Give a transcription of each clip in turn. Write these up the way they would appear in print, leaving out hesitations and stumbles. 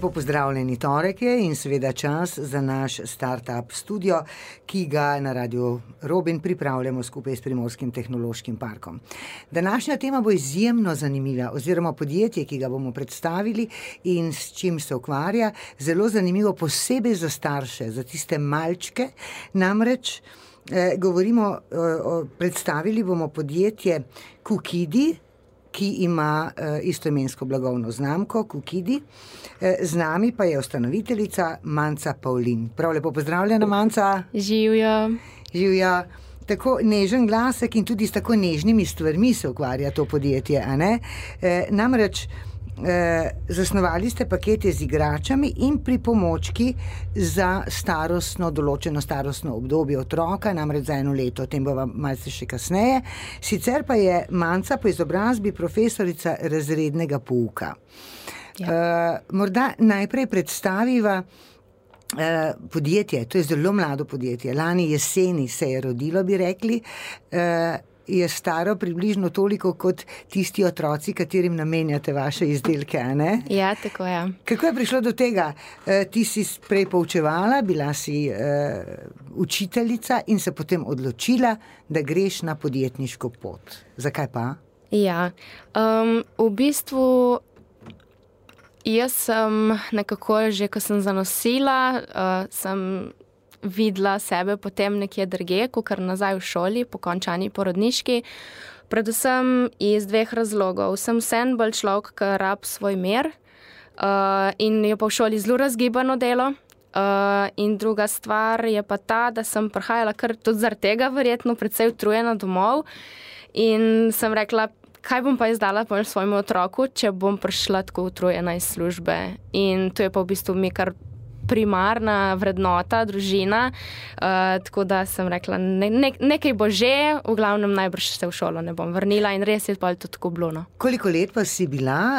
Pozdravljeni, torek je in seveda čas za naš startup studio, ki ga na Radiu Robin pripravljamo skupaj s Primorskim tehnološkim parkom. Današnja tema bo izjemno zanimiva, oziroma podjetje, ki ga bomo predstavili in s čim se ukvarja, zelo zanimivo posebej za starše, za tiste malčke. Namreč predstavili bomo podjetje Kukidi, ki ima istoimensko blagovno znamko Kukidi. Z nami pa je ustanoviteljica Manca Pavlin. Prav lepo pozdravljena, Manca. Živjo. Živjo. Tako nežen glasek in tudi s tako nežnimi stvarmi se ukvarja to podjetje, a ne? Namreč zasnovali ste pakete z igračami in pripomočki za določeno starostno obdobje otroka, namreč za 1 leto, o tem bo vam malce še kasneje. Sicer pa je Manca po izobrazbi profesorica razrednega pouka. Ja. Morda najprej predstaviva podjetje, to je zelo mlado podjetje, lani jeseni se je rodilo, bi rekli, je staro približno toliko kot tisti otroci, katerim namenjate vaše izdelke, a ne? Ja, tako je. Kako je prišlo do tega? Ti si prej poučevala, bila si učiteljica in se potem odločila, da greš na podjetniško pot. Zakaj pa? Ja, v bistvu jaz sem nekako že, ko sem zanosila, sem videla sebe potem nekje drugje, kakor nazaj v šoli, po končani porodniški. Predvsem iz 2 razlogov. Sem vseeno bolj človek, ki rab svoj mir in je pa v šoli zelo razgibano delo. In druga stvar je pa ta, da sem prihajala kar tudi zaradi tega verjetno precej utrujena domov in sem rekla, kaj bom pa izdala svojemu otroku, če bom prišla tako utrujena iz službe. In to je pa v bistvu mi kar primarna vrednota, družina, tako da sem rekla, nekaj bo že, v glavnem najbrž se v šolo ne bom vrnila in res je pa to tako bilo, no. Koliko let pa si bila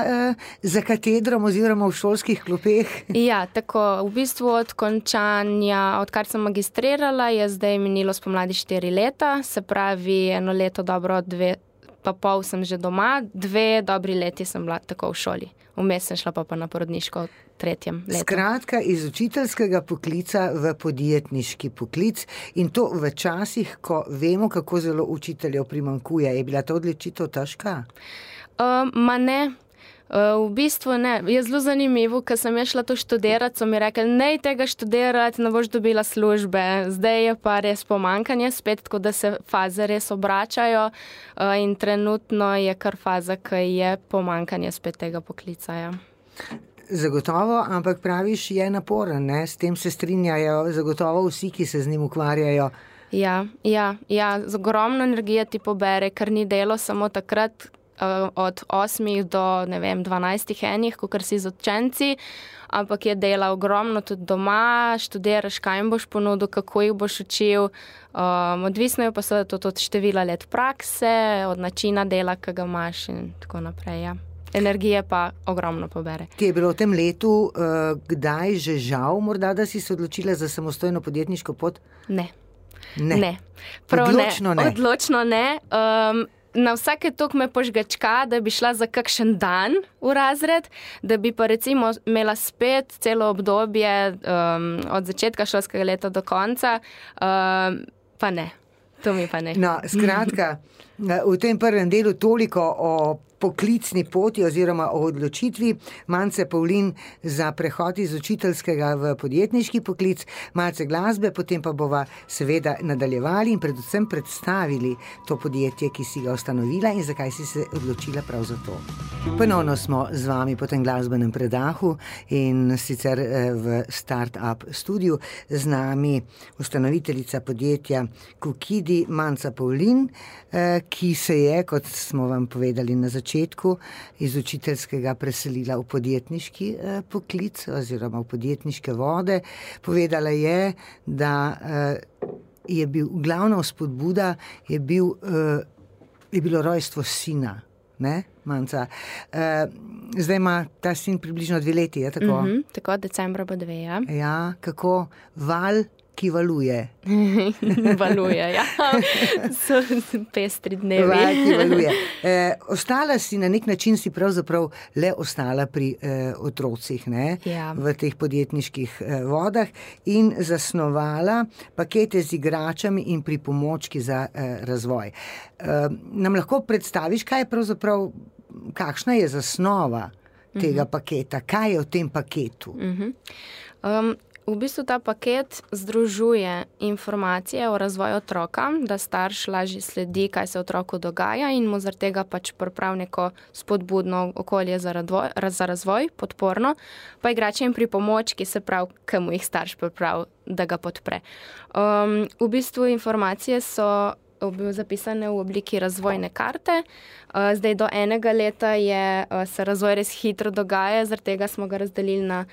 za katedrom oziroma v šolskih klopeh? Ja, tako, v bistvu od končanja, odkar sem magistrirala, je zdaj minilo spomladi 4 leta, se pravi 1 leto dobro, 2,5 sem že doma, 2 dobri leti sem bila tako v šoli. Vmes sem šla pa na porodniško 3. letu. Skratka, iz učiteljskega poklica v podjetniški poklic in to v časih, ko vemo, kako zelo učiteljev primanjkuje. Je bila ta odločitev težka? Ne. V bistvu ne. Je zelo zanimivo, ker sem šla to študirati, so mi rekli, ne tega študirati, ne boš dobila službe. Zdaj je pa res pomanjkanje spet, tako da se faze res obračajo in trenutno je kar faza, ki je pomanjkanje spet tega poklica. Ja. Zagotovo, ampak praviš, je naporen, ne? S tem se strinjajo zagotovo vsi, ki se z njim ukvarjajo. Ja, z ogromno energije ti pobere, ker ni delo samo takrat, od 8 do, 12 enih, kakor si z učenci, ampak je dela ogromno tudi doma, študiraš, kaj jim boš ponudil, kako jih boš učil, odvisno je pa seveda tudi od števila let prakse, od načina dela, ki ga imaš in tako naprej, ja. Energije pa ogromno pobere. Ti je bilo v tem letu kdaj že žal morda, da si se odločila za samostojno podjetniško pot? Ne. Odločno ne. Odločno ne. Na vsake toliko me požgačka, da bi šla za kakšen dan v razred, da bi pa recimo imela spet celo obdobje od začetka šolskega leta do konca, pa ne. To mi pa ne. No, skratka, v tem prvem delu toliko o poklicni poti oziroma o odločitvi Mance Pavlin za prehod iz učiteljskega v podjetniški poklic, malce glasbe, potem pa bova seveda nadaljevali in predvsem predstavili to podjetje, ki si ga ustanovila in zakaj si se odločila prav za to. Ponovno smo z vami po tem glasbenem predahu in sicer v Startup studiu z nami ustanoviteljica podjetja Kukidi Manca Pavlin, ki se je, kot smo vam povedali na začetku, iz učiteljskega preselila v podjetniški poklic oziroma v podjetniške vode. Povedala je, da je bil glavna vzpodbuda, je bilo rojstvo sina, ne, Manca? Zdaj ima ta sin približno 2 leti, je tako? Tako, decembra bo 2, ja. Ja, kako val ki valuje. Valuje, ja. So pestri dnevi. Val, ki valuje. Ostala si, na nek način si pravzaprav le ostala pri otrocih, ne? Ja. V teh podjetniških vodah in zasnovala pakete z igračami in pripomočki za razvoj. Nam lahko predstaviš, kaj je pravzaprav, kakšna je zasnova tega paketa, kaj je v tem paketu? V bistvu ta paket združuje informacije o razvoju otroka, da starš lažje sledi, kaj se otroku dogaja in mu zaradi tega pač pripravi neko spodbudno okolje za razvoj, podporno, pa igrače in pripomočki, se pravi, ki mu jih starš pripravi, da ga podpre. V bistvu informacije so zapisane v obliki razvojne karte. Zdaj do 1 leta se razvoj res hitro dogaja, zaradi tega smo ga razdelili na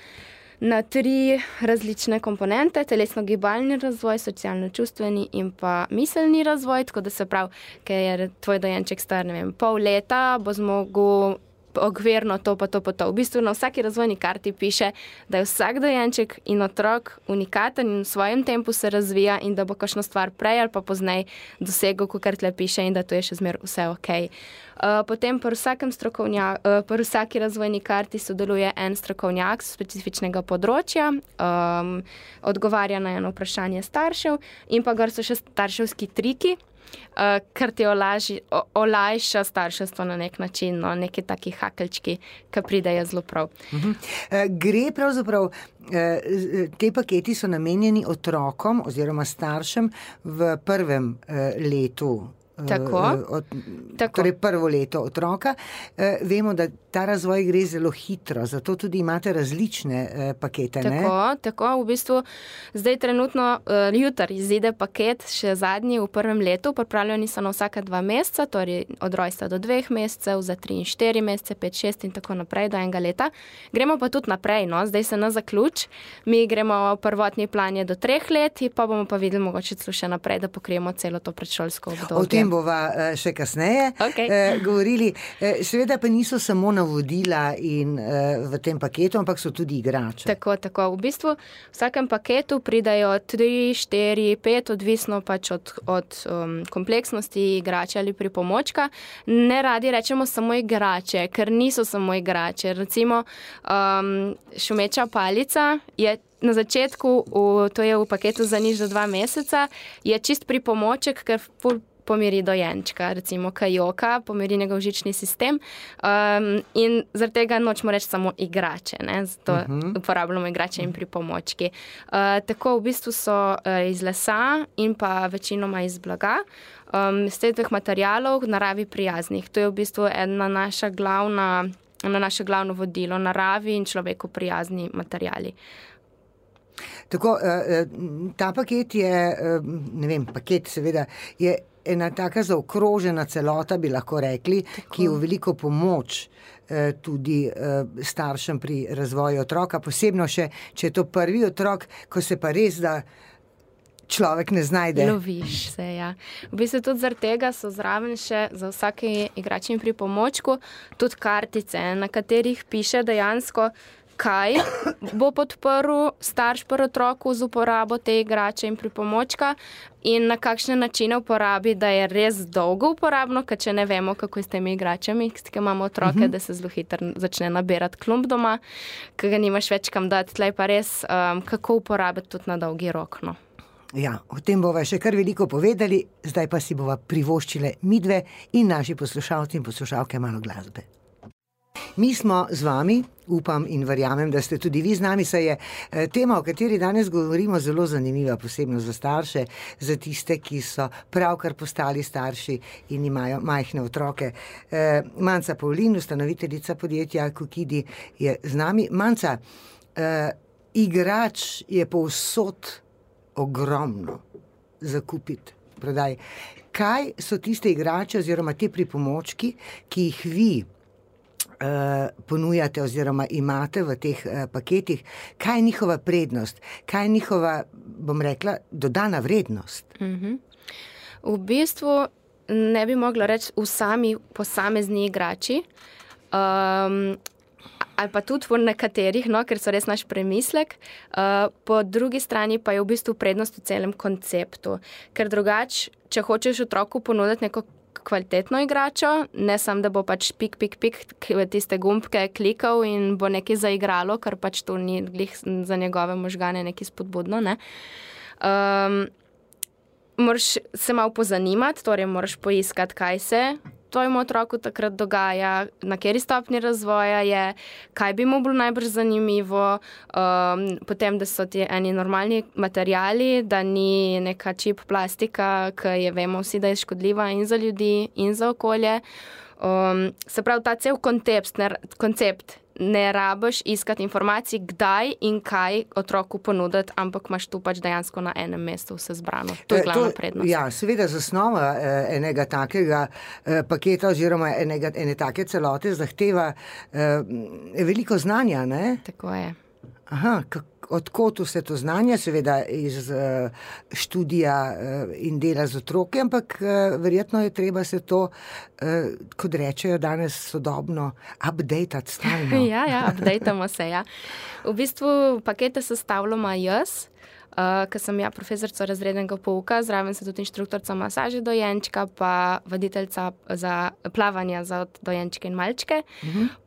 3 različne komponente, telesno-gibalni razvoj, socialno-čustveni in pa miselni razvoj, tako da se pravi, ker je tvoj dojenček star, ne vem, pol leta, bo zmogel okvirno to pa to pa to. V bistvu na vsaki razvojni karti piše, da je vsak dojenček in otrok unikaten in v svojem tempu se razvija in da bo kakšno stvar prej ali pa poznej dosegel, kakor tle piše in da to je še zmer vse okej. Potem pri vsaki razvojni karti sodeluje en strokovnjak z specifičnega področja, odgovarja na eno vprašanje staršev in pa gor so še starševski triki, kar ti olajša starševstvo na nek način, no, neki taki hakelčki, ki pridejo zelo prav. Gre pravzaprav, te paketi so namenjeni otrokom oziroma staršem v prvem letu. Tako. Torej prvo leto otroka. Vemo, da ta razvoj gre zelo hitro, zato tudi imate različne pakete, ne? Tako. V bistvu zdaj trenutno jutri izide paket, še zadnji v prvem letu, pripravljeni so na vsaka 2 meseca, torej od rojstva do 2 mesecev, za 3 in 4 mesece, 5, 6 in tako naprej do 1 leta. Gremo pa tudi naprej, no, zdaj se na zaključ. Mi gremo prvotni plan je do 3 let, pa bomo pa videli mogoče celo še naprej, da pokrijemo celo to predšolsko obdobje. O tem bova še kasneje govorili. Seveda pa niso samo navodila in v tem paketu, ampak so tudi igrače. Tako. V bistvu v vsakem paketu pridajo 3, 4, 5, odvisno pač od kompleksnosti igrače ali pripomočka. Ne radi rečemo samo igrače, ker niso samo igrače. Recimo šumeča palica je na začetku, to je v paketu za nič do 2 meseca, je čist pripomoček, ker pomiri dojenčka, recimo kajoka, pomiri njegov žični sistem in zaradi tega nočemo reči samo igrače, ne? Zato uporabljamo igrače in pripomočki. Tako v bistvu so iz lesa in pa večinoma iz blaga, iz teh materialov naravi prijaznih. To je v bistvu naše glavno vodilo, naravi in človeku prijazni materiali. Tako, ta paket je, ne vem, paket seveda je ena taka zaokrožena celota, bi lahko rekli, ki je v veliko pomoč tudi staršem pri razvoju otroka, posebno še, če je to prvi otrok, ko se pa res da človek ne znajde. Loviš se, ja. V bistvu tudi zaradi tega so zraven še za vsake igrače in pripomočku tudi kartice, na katerih piše dejansko, kaj bo podprl starš pri otroku z uporabo te igrače in pripomočka in na kakšne načine uporabi, da je res dolgo uporabno, ker če ne vemo, kako je s temi igračami, ki imamo otroke, da se zelo hitro začne nabirati klump doma, ki ga nimaš več kam dati, tlej pa res, kako uporabiti tudi na dolgi rok, no. Ja, o tem bova še kar veliko povedali, zdaj pa si bova privoščile midve in naši poslušalci in poslušalke malo glasbe. Mi smo z vami, upam in verjamem, da ste tudi vi z nami, saj je tema, o kateri danes govorimo, zelo zanimiva, posebno za starše, za tiste, ki so pravkar postali starši in imajo majhne otroke. Manca Pavlin, ustanoviteljica podjetja Kukidi, je z nami. Manca, igrač je povsod ogromno za kupiti, prodaj. Kaj so tiste igrače oziroma te pripomočki, ki jih vi ponujate oziroma imate v teh paketih, kaj je njihova prednost, kaj je njihova, bom rekla, dodana vrednost? V bistvu ne bi mogla reči v sami posamezni igrači, ali pa tudi v nekaterih, no, ker so res naš premislek. Po drugi strani pa je v bistvu prednost v celem konceptu. Ker drugače, če hočeš otroku ponuditi neko kvalitetno igračo, ne samo, da bo pač pik, tiste gumbke klikal in bo nekaj zaigralo, ker pač to ni glih za njegove možgane nekaj spodbudno, ne. Moraš se malo pozanimati, torej moraš poiskati, kaj se tvojemu otroku takrat dogaja, na kateri stopnji razvoja je, kaj bi mu bilo najbolj zanimivo, potem, da so ti eni normalni materiali, da ni neka čip plastika, ki je vemo vsi, da je škodljiva in za ljudi in za okolje. Se pravi, ta cel koncept ne rabiš iskati informacij, kdaj in kaj otroku ponuditi, ampak imaš tu pač dejansko na enem mestu vse zbrano. To je glavna prednost. Ja, seveda zasnova enega takega paketa oziroma ene take celote zahteva veliko znanja, ne? Tako je. Aha, odkot vse to znanje, seveda iz študija in dela z otroki, ampak verjetno je treba se to, kot rečejo danes sodobno, updatati stalno. Ja, updatamo se, ja. V bistvu pakete sestavljamo jaz, ker sem ja profesorica razrednega pouka, zraven se tudi inštruktorica masaže dojenčka, pa voditeljca za plavanja za dojenčke in malčke.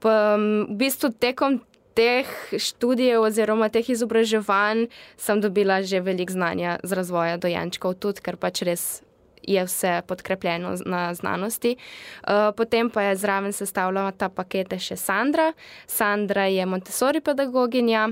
Pa v bistvu tekom teh študijev oziroma teh izobraževanj sem dobila že veliko znanja z razvoja dojenčkov, tudi ker pač res je vse podkrepljeno na znanosti. Potem pa je zraven sestavljala ta pakete še Sandra. Sandra je Montessori pedagoginja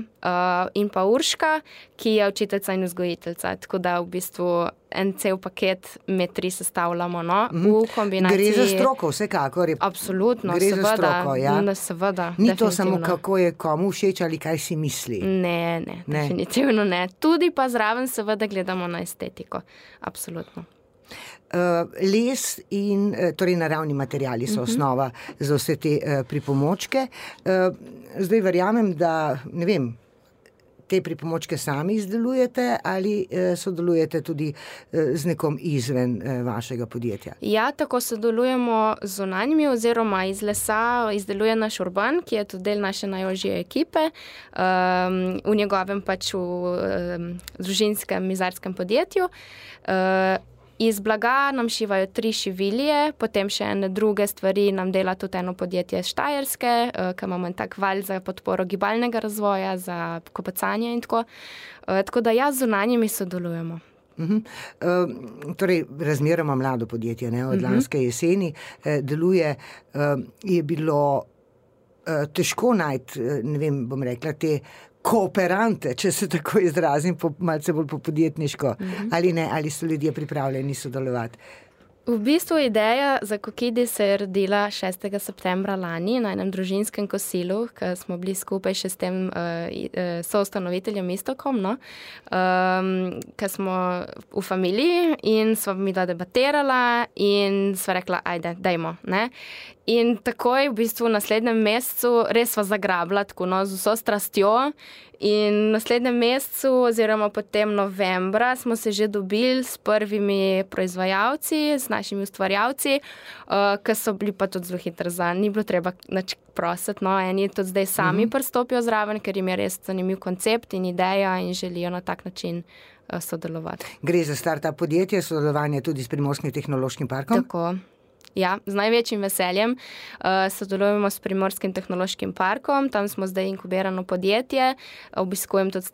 in pa Urška, ki je učiteljica in vzgojiteljica. Tako da v bistvu en cel paket med 3 sestavljamo, no, v kombinaciji. Gre za stroko, vsekakor. Absolutno, gre seveda. Za stroko, ja. Seveda, ni to samo, kako je komu všeč ali kaj si misli. Ne, definitivno ne. Tudi pa zraven seveda gledamo na estetiko. Absolutno. Les in torej naravni materiali so osnova za vse te pripomočke. Zdaj verjamem, da ne vem, te pripomočke sami izdelujete ali sodelujete tudi z nekom izven vašega podjetja? Ja, tako sodelujemo z zunanjimi oziroma iz lesa izdeluje naš Urban, ki je tudi del naše najožje ekipe, v njegovem pač v družinskem mizarskem podjetju. Iz blaga nam šivajo 3 šivilje, potem še ene druge stvari nam dela tudi eno podjetje iz Štajerske, ki imamo en tak val za podporo gibalnega razvoja, za kopacanje in tako. Tako da ja, z zunanjimi sodelujemo. Torej, razmeroma mlado podjetje, ne, od lanske jeseni deluje, je bilo težko najti, ne vem, bom rekla, te kooperante, če se tako izrazim, malce bolj po podjetniško, ali ne, ali so ljudje pripravljeni sodelovati? V bistvu ideja za Kokidi se je rodila 6. septembra lani na enem družinskem kosilu, ker smo bili skupaj še s tem soustanoviteljem Istokom, no, ker smo v familiji in sva mi da debatirala in sva rekla, ajde, dajmo, ne. In takoj v bistvu v naslednjem mesecu res sva zagrabila tako, no, z vso strastjo in v naslednjem mesecu oziroma potem novembra smo se že dobili s prvimi proizvajalci, s našimi ustvarjalci, ki so bili pa tudi zelo hitro za, ni bilo treba nič prositi, no, eni tudi zdaj sami pristopijo zraven, ker jim je res zanimiv koncept in ideja in želijo na tak način sodelovati. Gre za startup podjetje, sodelovanje tudi s Primorskim tehnološkim parkom? Tako. Ja, z največjim veseljem sodelujemo s Primorskim tehnološkim parkom, tam smo zdaj inkubirano podjetje, obiskujem tudi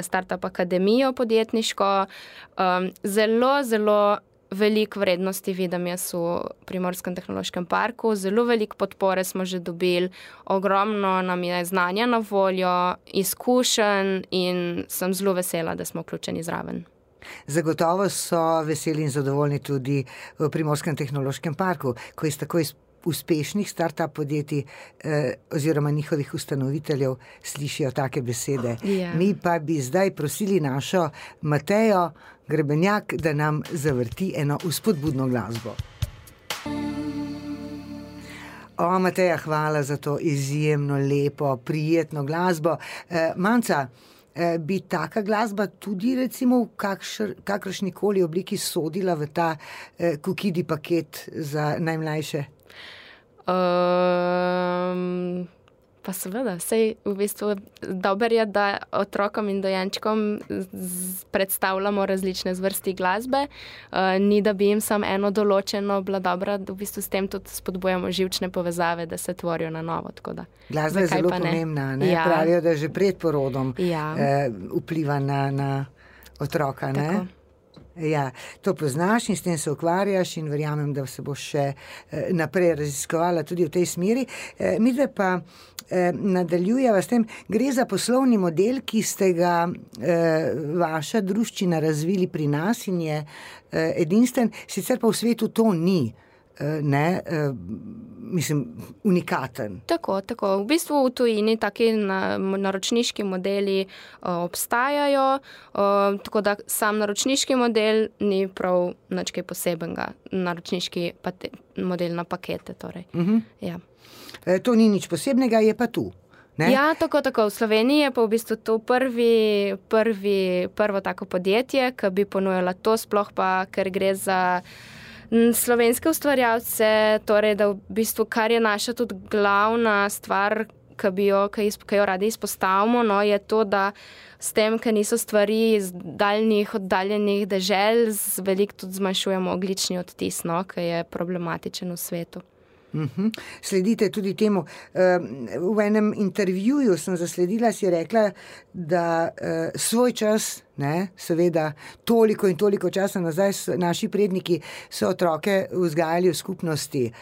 startup akademijo podjetniško. Zelo veliko vrednosti vidim jaz v Primorskem tehnološkem parku, zelo veliko podpore smo že dobili, ogromno nam je znanja na voljo, izkušenj in sem zelo vesela, da smo vključeni zraven. Zagotovo so veseli in zadovoljni tudi v Primorskem tehnološkem parku, ko iz tako uspešnih startup podjetij oziroma njihovih ustanoviteljev slišijo take besede. Yeah. Mi pa bi zdaj prosili našo Matejo Grebenjak, da nam zavrti eno vzpodbudno glasbo. Mateja, hvala za to izjemno lepo, prijetno glasbo. Manca, bi taka glasba tudi recimo v kakršnikoli obliki sodila v ta Kokidi paket za najmlajše? Pa seveda, sej v bistvu dober je, da otrokom in dojenčkom predstavljamo različne zvrsti glasbe. Ni, da bi jim samo eno določeno bila dobra, v bistvu s tem tudi spodbujamo živčne povezave, da se tvorijo na novo. Glasba je zelo pomembna, ne? Ja. Pravijo, da že pred porodom vpliva na otroka. Ne? Tako. Ja, to poznaš in s tem se ukvarjaš in verjamem, da se boš še naprej raziskovala tudi v tej smeri. Midve pa nadaljujeva s tem, gre za poslovni model, ki ste ga vaša druščina razvili pri nas in je edinstven, sicer pa v svetu to ni. Unikaten. Tako. V bistvu v tujini taki naročniški modeli obstajajo, tako da sam naročniški model ni prav nič kaj posebenega. Naročniški model na pakete. Torej. Ja. To ni nič posebnega, je pa tu. Ne? Ja, tako. V Sloveniji je pa v bistvu to prvo tako podjetje, ki bi ponujala to, sploh pa, ker gre za slovenske ustvarjalce, torej da v bistvu, kar je naša tudi glavna stvar, ki jo radi izpostavimo, je to, da s tem, ker niso stvari iz oddaljenih dežel, veliko tudi zmanjšujemo ogljični odtis, ki je problematičen v svetu. Sledite tudi temu. V enem intervjuju sem zasledila, si rekla, da svoj čas, seveda toliko in toliko časa nazaj naši predniki so otroke vzgajali v skupnosti.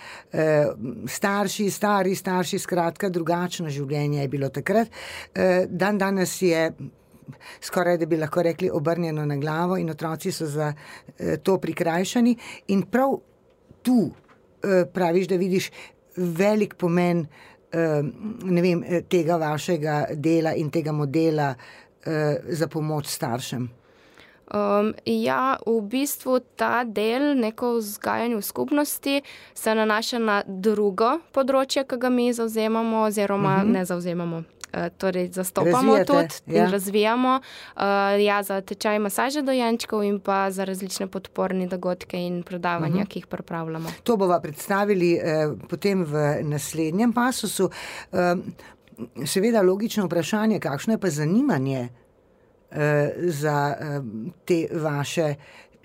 Stari starši, skratka, drugačno življenje je bilo takrat. Danes je skoraj, da bi lahko rekli, obrnjeno na glavo in otroci so za to prikrajšani. In prav tu praviš, da vidiš velik pomen tega vašega dela in tega modela za pomoč staršem. V bistvu ta del, neko vzgajanje v skupnosti, se nanaša na drugo področje, ki ga mi zavzemamo oziroma ne zavzemamo. Torej zastopamo tudi in razvijamo za tečaj masaže dojenčkov in pa za različne podporne dogodke in predavanja, ki jih pripravljamo. To bova predstavili potem v naslednjem pasusu. Seveda logično vprašanje, kakšno je pa zanimanje za te vaše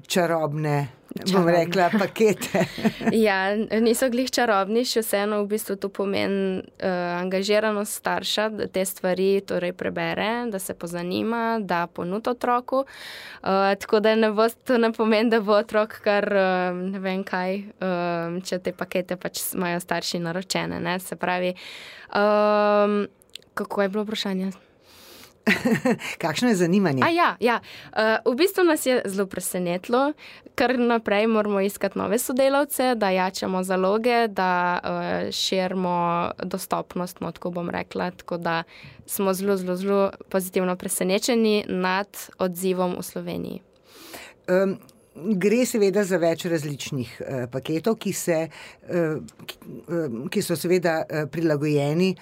čarobne, bom rekla, pakete. Ja, niso glih čarobni, še vseeno v bistvu to pomeni angažiranost starša, da te stvari torej prebere, da se pozanima, da ponudi otroku. Tako da to ne pomeni, da bo otrok kar ne vem kaj, če te pakete pač imajo starši naročene. Ne? Se pravi, kako je bilo vprašanje? Kakšno je zanimanje? V bistvu nas je zelo presenetilo, ker naprej moramo iskati nove sodelavce, da jačamo zaloge, da širimo dostopnost, tako bom rekla, tako da smo zelo pozitivno presenečeni nad odzivom v Sloveniji. Gre seveda za več različnih paketov, ki so seveda prilagojeni,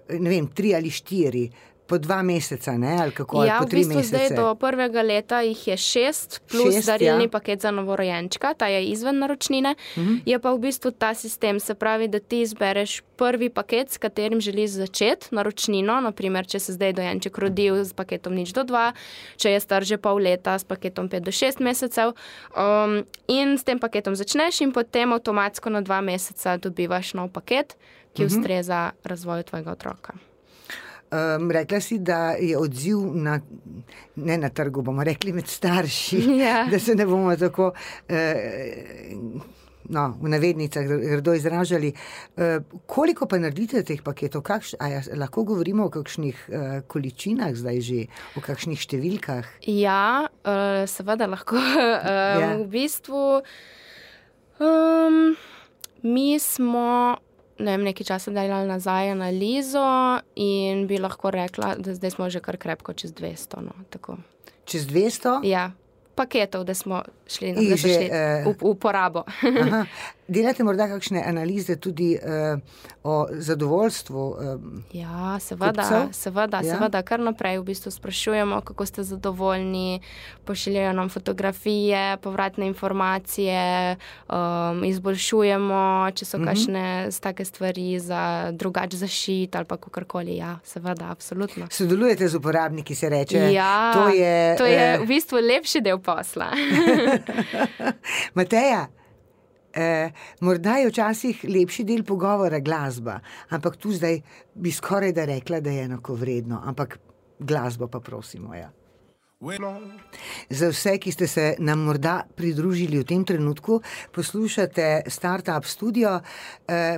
3 ali 4, po 2 meseca, ali kako, ali po 3 mesece? V bistvu zdaj do 1. leta jih je 6, plus darilni paket za novorojenčka, ta je izven naročnine. Je pa v bistvu ta sistem, se pravi, da ti izbereš prvi paket, s katerim želiš začeti naročnino, naprimer, če se zdaj dojenček rodil s paketom 0 do 2, če je star že pol leta s paketom 5 do 6 mesecev, in s tem paketom začneš in potem avtomatsko na 2 meseca dobivaš nov paket, ki ustreza razvoju tvojega otroka. Rekla si, da je odziv ne na trgu, bomo rekli med starši, da se ne bomo tako v navednicah grdo izražali. Koliko pa naredite teh paketov? Lahko govorimo o kakšnih količinah zdaj že, o kakšnih številkah? Ja, seveda lahko. V bistvu mi smo nekaj časa delali nazaj analizo in bi lahko rekla, da zdaj smo že kar krepko čez 200. Tako. Čez 200? Ja. paketov, da smo šli v uporabo. Aha. Delate morda kakšne analize tudi o zadovoljstvu Ja, kupcev? seveda, kar naprej v bistvu sprašujemo, kako ste zadovoljni, pošiljajo nam fotografije, povratne informacije, izboljšujemo, če so kakšne take stvari za drugač zašit ali pa kakorkoli. Ja, seveda, absolutno. Sodelujete z uporabniki, se reče. Ja, to je v bistvu lepši del posla. Mateja, morda je včasih lepši del pogovora glasba, ampak tu zdaj bi skoraj da rekla, da je enakovredno, ampak glasbo pa prosimo, ja. Za vse, ki ste se nam morda pridružili v tem trenutku, poslušate Startup Studio,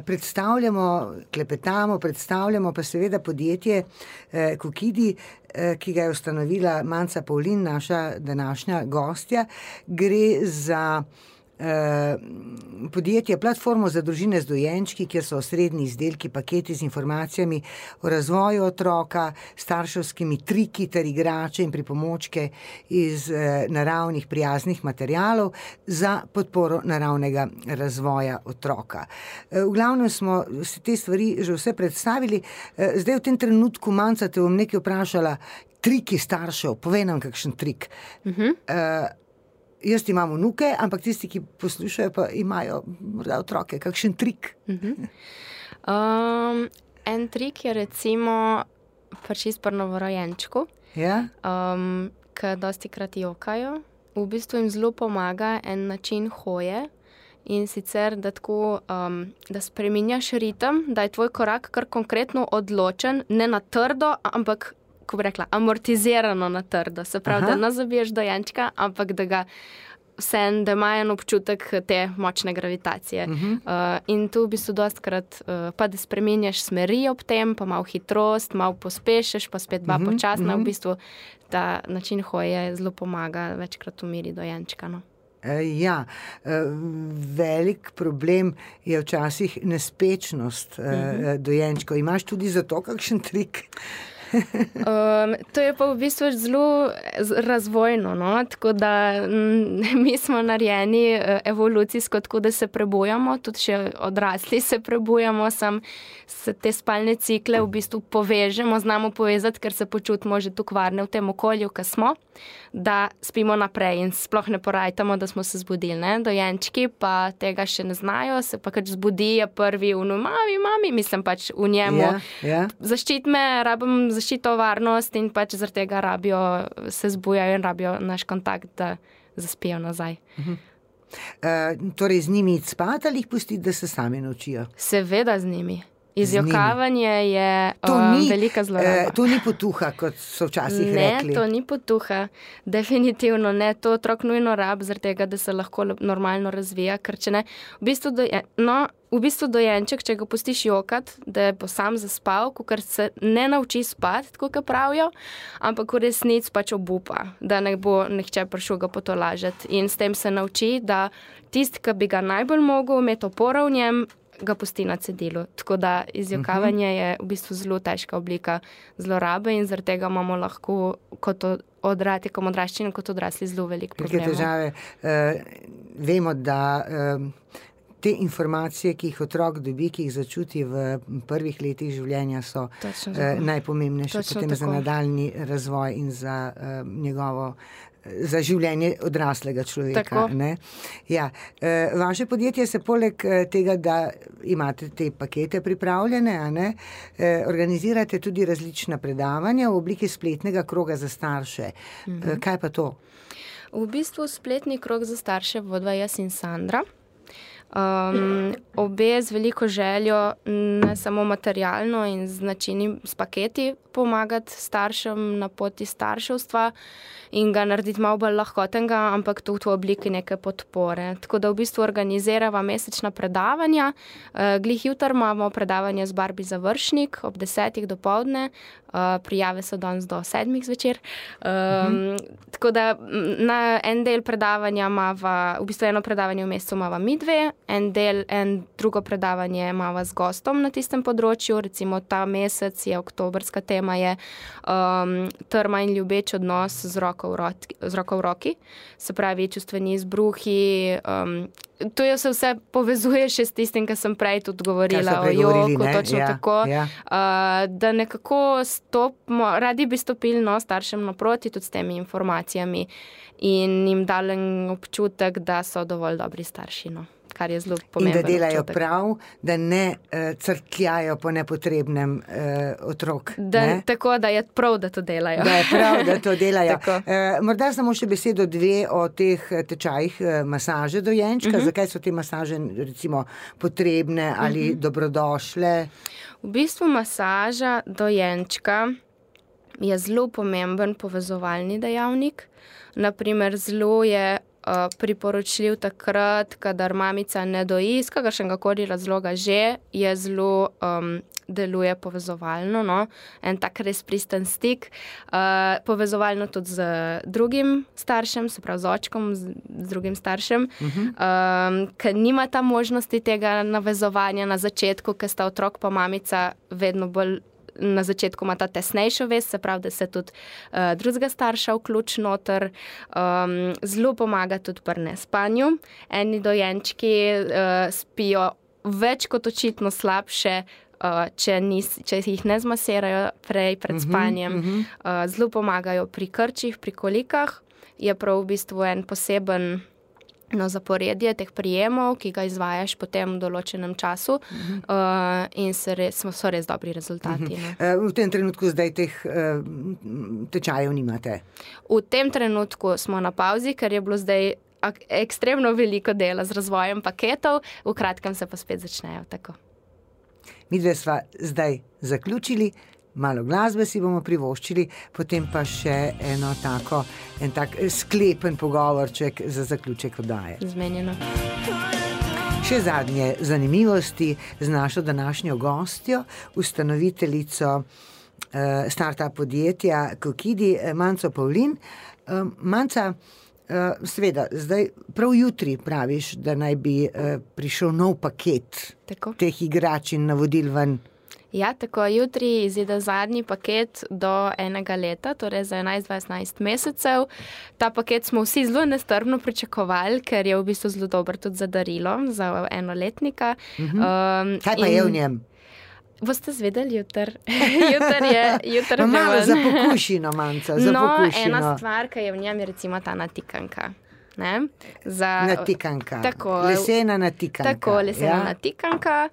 predstavljamo, klepetamo, predstavljamo pa seveda podjetje Kokidi, ki ga je ustanovila Manca Pavlin, naša današnja gostja. Gre za podjetje, platformo za družine z dojenčki, kjer so osrednji izdelki, paketi z informacijami o razvoju otroka, starševskimi triki ter igrače in pripomočke iz naravnih prijaznih materialov za podporo naravnega razvoja otroka. V glavnem smo se te stvari že vse predstavili. Zdaj v tem trenutku, Manca, te bom nekaj vprašala, triki staršev, povej nam kakšen trik. Jaz imam vnuke, ampak tisti, ki poslušajo, pa imajo morda otroke. Kakšen trik? En trik je recimo čist pri novorojenčku, ki dostikrat jokajo. V bistvu jim zelo pomaga en način hoje, in sicer, da tako, da spreminjaš ritem, da je tvoj korak kar konkretno odločen, ne na trdo, ampak, ko bi rekla, amortizirano na trdo. Se pravi, da ne zabiješ dojenčka, ampak da ga da ima en občutek te močne gravitacije. In tu v bistvu dostikrat pa da spreminjaš smeri ob tem, pa malo hitrost, malo pospešiš, pa spet počasno. V bistvu ta način hoje zelo pomaga večkrat umiri dojenčka, no. Ja, velik problem je včasih nespečnost dojenčkov. Imaš tudi za to kakšen trik? To je pa v bistvu zelo razvojno, no? Tako da mi smo narejeni evolucijsko, tako da se prebujamo, tudi še odrasli se prebujamo, se te spalne cikle v bistvu povežemo, znamo povezati, ker se počutimo že tako varne v tem okolju, ko smo, da spimo naprej in sploh ne porajtamo, da smo se zbudili, ne? Dojenčki pa tega še ne znajo, se pa kač zbudi, je prvi mami, mislim pač v njemu. Zaščit me, rabim zaščito, varnost in pač zaradi tega se zbujajo in rabijo naš kontakt, da zaspijo nazaj. Torej z njimi iti spat ali jih pustiti, da se sami naučijo? Seveda z njimi. Izjokavanje je velika zloraba. To ni potuha, kot so včasih rekli. Ne, to ni potuha. Definitivno ne. To otrok nujno rab, zaradi tega, da se lahko normalno razvija, ker če ne, v bistvu dojenček, če ga pustiš jokat, da bo sam zaspal, ker se ne nauči spati, tako kot pravijo, ampak v resnici pač obupa, da ne bo nihče prišel ga potolažiti. In s tem se nauči, da tisti, ki bi ga najbolj mogel imeti oporo v njem, ga pusti na cedilu. Tako da izjokavanje je v bistvu zelo težka oblika zlorabe in zaradi tega imamo lahko kot odraščini, kot odrasli zelo veliko problemov. Velike težave. Vemo, da te informacije, ki jih otrok dobi, ki jih začuti v prvih letih življenja, so najpomembnejše potem za nadaljnji razvoj in za življenje odraslega človeka. Ne? Ja. Vaše podjetje se poleg tega, da imate te pakete pripravljene, organizirate tudi različna predavanja v obliki spletnega kroga za starše. Kaj pa to? V bistvu spletni krog za starše vodva jaz in Sandra. Obe z veliko željo, ne samo materialno in z načini, s paketi pomagati staršem na poti starševstva in ga narediti malo bolj lahkotenga, ampak tudi v obliki neke podpore. Tako da v bistvu organizirava mesečna predavanja. Glih jutri imamo predavanje z Barbie Završnik ob 10:00 dopoldne. Prijave so danes do 7 zvečer. Tako da na en del predavanja v bistvu eno predavanje v mesecu imava mi dve, drugo predavanje imava z gostom na tistem področju, recimo ta mesec je oktobrska tema je trma in ljubeč odnos z roko v roki, se pravi čustveni izbruhi, to se vse povezuje še s tistim, kar sem prej tudi govorila o joku, točno tako, da nekako radi bi stopili staršem naproti tudi s temi informacijami in jim dali občutek, da so dovolj dobri starši, kar je zelo pomembno. In da delajo občutek. Prav, da ne crkljajo po nepotrebnem otrok. Tako, da je prav, da to delajo. Da je prav, da to delajo. Morda samo še besedo dve o teh tečajih masaže dojenčka. Zakaj so te masaže recimo potrebne ali dobrodošle? V bistvu masaža dojenčka je zelo pomemben povezovalni dejavnik. Naprimer, zelo je priporočljiv takrat, kadar mamica ne doji, iz kakršnega koli razloga že, je zelo deluje povezovalno, en tak res pristen stik, povezovalno tudi z drugim staršem, se pravi z očkom, z drugim staršem, ker nima ta možnosti tega navezovanja na začetku, ker sta otrok pa mamica vedno bolj na začetku ima ta tesnejšo vez, se pravi, da se tudi drugega starša vključi noter. Zelo pomaga tudi pri nespanju. Eni dojenčki spijo več kot očitno slabše, če jih ne zmasirajo pred spanjem. Zelo pomagajo pri krčih, pri kolikah. Je prav v bistvu en poseben zaporedje teh prijemov, ki ga izvajaš potem v določenem času in so res dobri rezultati. V tem trenutku zdaj teh tečajev nimate? V tem trenutku smo na pauzi, ker je bilo zdaj ekstremno veliko dela z razvojem paketov, v kratkem se pa spet začnejo tako. Midve sva zdaj zaključili, malo glasbe si bomo privoščili, potem pa še en tak sklepen pogovorček za zaključek oddaje. Zmenjeno. Še zadnje zanimivosti z našo današnjo gostjo, ustanoviteljico startup podjetja Kokidi, Manco Pavlin. Manca, seveda, zdaj prav jutri praviš, da naj bi prišel nov paket teh igrač in navodil ven. Ja, tako jutri izide zadnji paket do 1 leta, torej za 11-12 mesecev. Ta paket smo vsi zelo nestrpno pričakovali, ker je v bistvu zelo dober tudi za darilo, za enoletnika. Kaj pa je v njem? Boste zvedeli jutri. Jutri malo za pokušino, Manca, za pokušino. Ena stvar, ki je v njem, je recimo ta natikanka. Natikanka, lesena natikanka. Tako, lesena natikanka,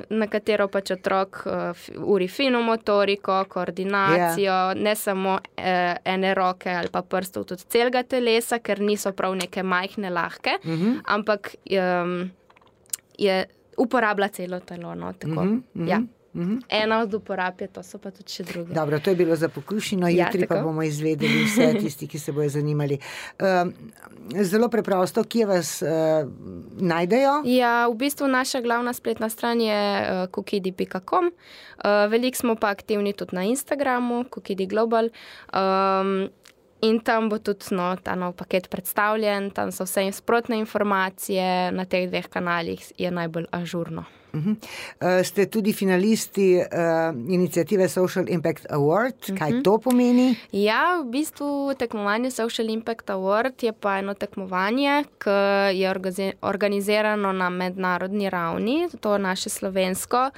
na katero pač otrok uri fino motoriko, koordinacijo, ne samo ene roke ali pa prstov, tudi celega telesa, ker niso prav neke majhne, lahke, ampak uporablja celo telo. Tako, ja. Ena od uporab je, to so pa tudi še druge. Dobro, to je bilo za pokušino, jutri pa bomo izvedeli vse tisti, ki se bojo zanimali. Zelo preprosto, kje vas najdejo? Ja, v bistvu naša glavna spletna stran je kokidi.com. Veliko smo pa aktivni tudi na Instagramu, Kokidi Global. In tam bo tudi ta nov paket predstavljen, tam so vse sprotne informacije, na teh 2 kanalih je najbolj ažurno. Ste tudi finalisti iniciative Social Impact Award. Kaj to pomeni? Ja, v bistvu tekmovanje Social Impact Award je pa eno tekmovanje, ki je organizirano na mednarodni ravni, to naše slovensko.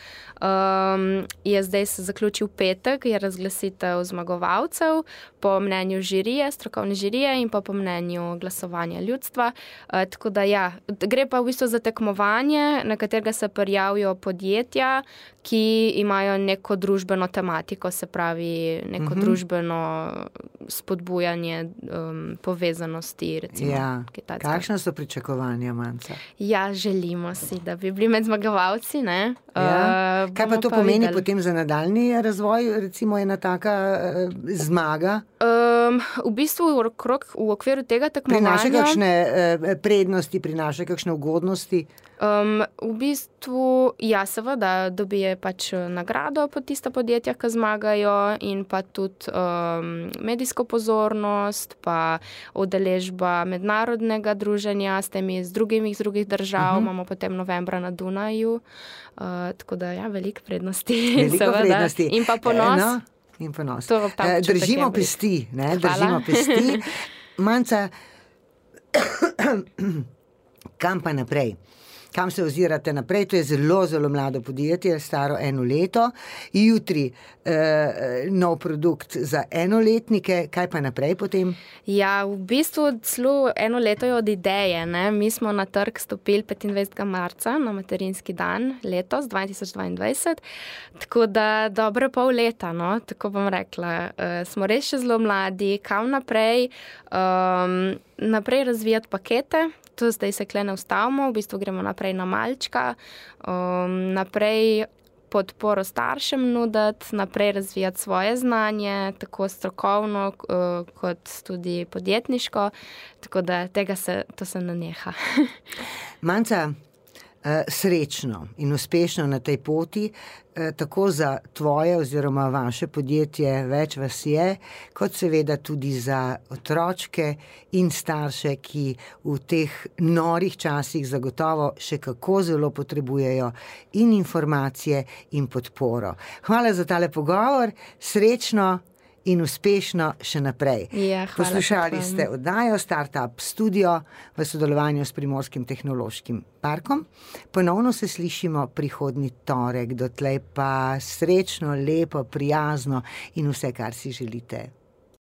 Je zdaj se zaključil petek, je razglasitev zmagovalcev po mnenju žirije, strokovne žirije in pa po mnenju glasovanja ljudstva. Tako da ja, gre pa v bistvu za tekmovanje, na katerega se prijavijo podjetja, ki imajo neko družbeno tematiko, se pravi neko družbeno spodbujanje povezanosti, recimo. Ja. Kakšna so pričakovanja, Manca? Ja, želimo si, da bi bili med zmagovalci, ne? Ja. Kaj pa to pomeni potem za nadaljni razvoj, recimo ena taka zmaga? V bistvu v okviru tega tekmovanja... Prinaša kakšne prednosti, prinaša kakšne ugodnosti? V bistvu, ja, seveda, dobije pač nagrado pod tista podjetja, ki zmagajo, in pa tudi medijsko pozornost, pa udeležba mednarodnega druženja s temi z drugih držav, imamo potem novembra na Dunaju, tako da, ja, veliko prednosti. Veliko prednosti. In pa ponos. In ponos. Držimo pesti, ne? Držimo pesti. Manca, kam pa naprej? Kam se ozirate naprej? To je zelo, zelo mlado podjetje, staro 1 leto. Jutri nov produkt za enoletnike. Kaj pa naprej potem? Ja, v bistvu celo 1 leto je od ideje. Ne? Mi smo na trg stopili 25. marca na materinski dan letos, 2022. Tako da dobre pol leta, no? Tako bom rekla. Smo res še zelo mladi. Kam naprej? Naprej razvijati pakete. To zdaj se kle ne ustavimo, v bistvu gremo naprej na malčka, naprej podporo staršem nuditi, naprej razvijati svoje znanje, tako strokovno kot tudi podjetniško, tako da to se ne neha. Manca, srečno in uspešno na tej poti, tako za tvoje oziroma vaše podjetje, več vas je, kot seveda tudi za otročke in starše, ki v teh norih časih zagotovo še kako zelo potrebujejo in informacije in podporo. Hvala za tale pogovor, srečno in uspešno še naprej. Ja, poslušali ste oddajo Startup Studio v sodelovanju s Primorskim tehnološkim parkom. Ponovno se slišimo prihodnji torek, dotlej pa srečno, lepo, prijazno in vse, kar si želite.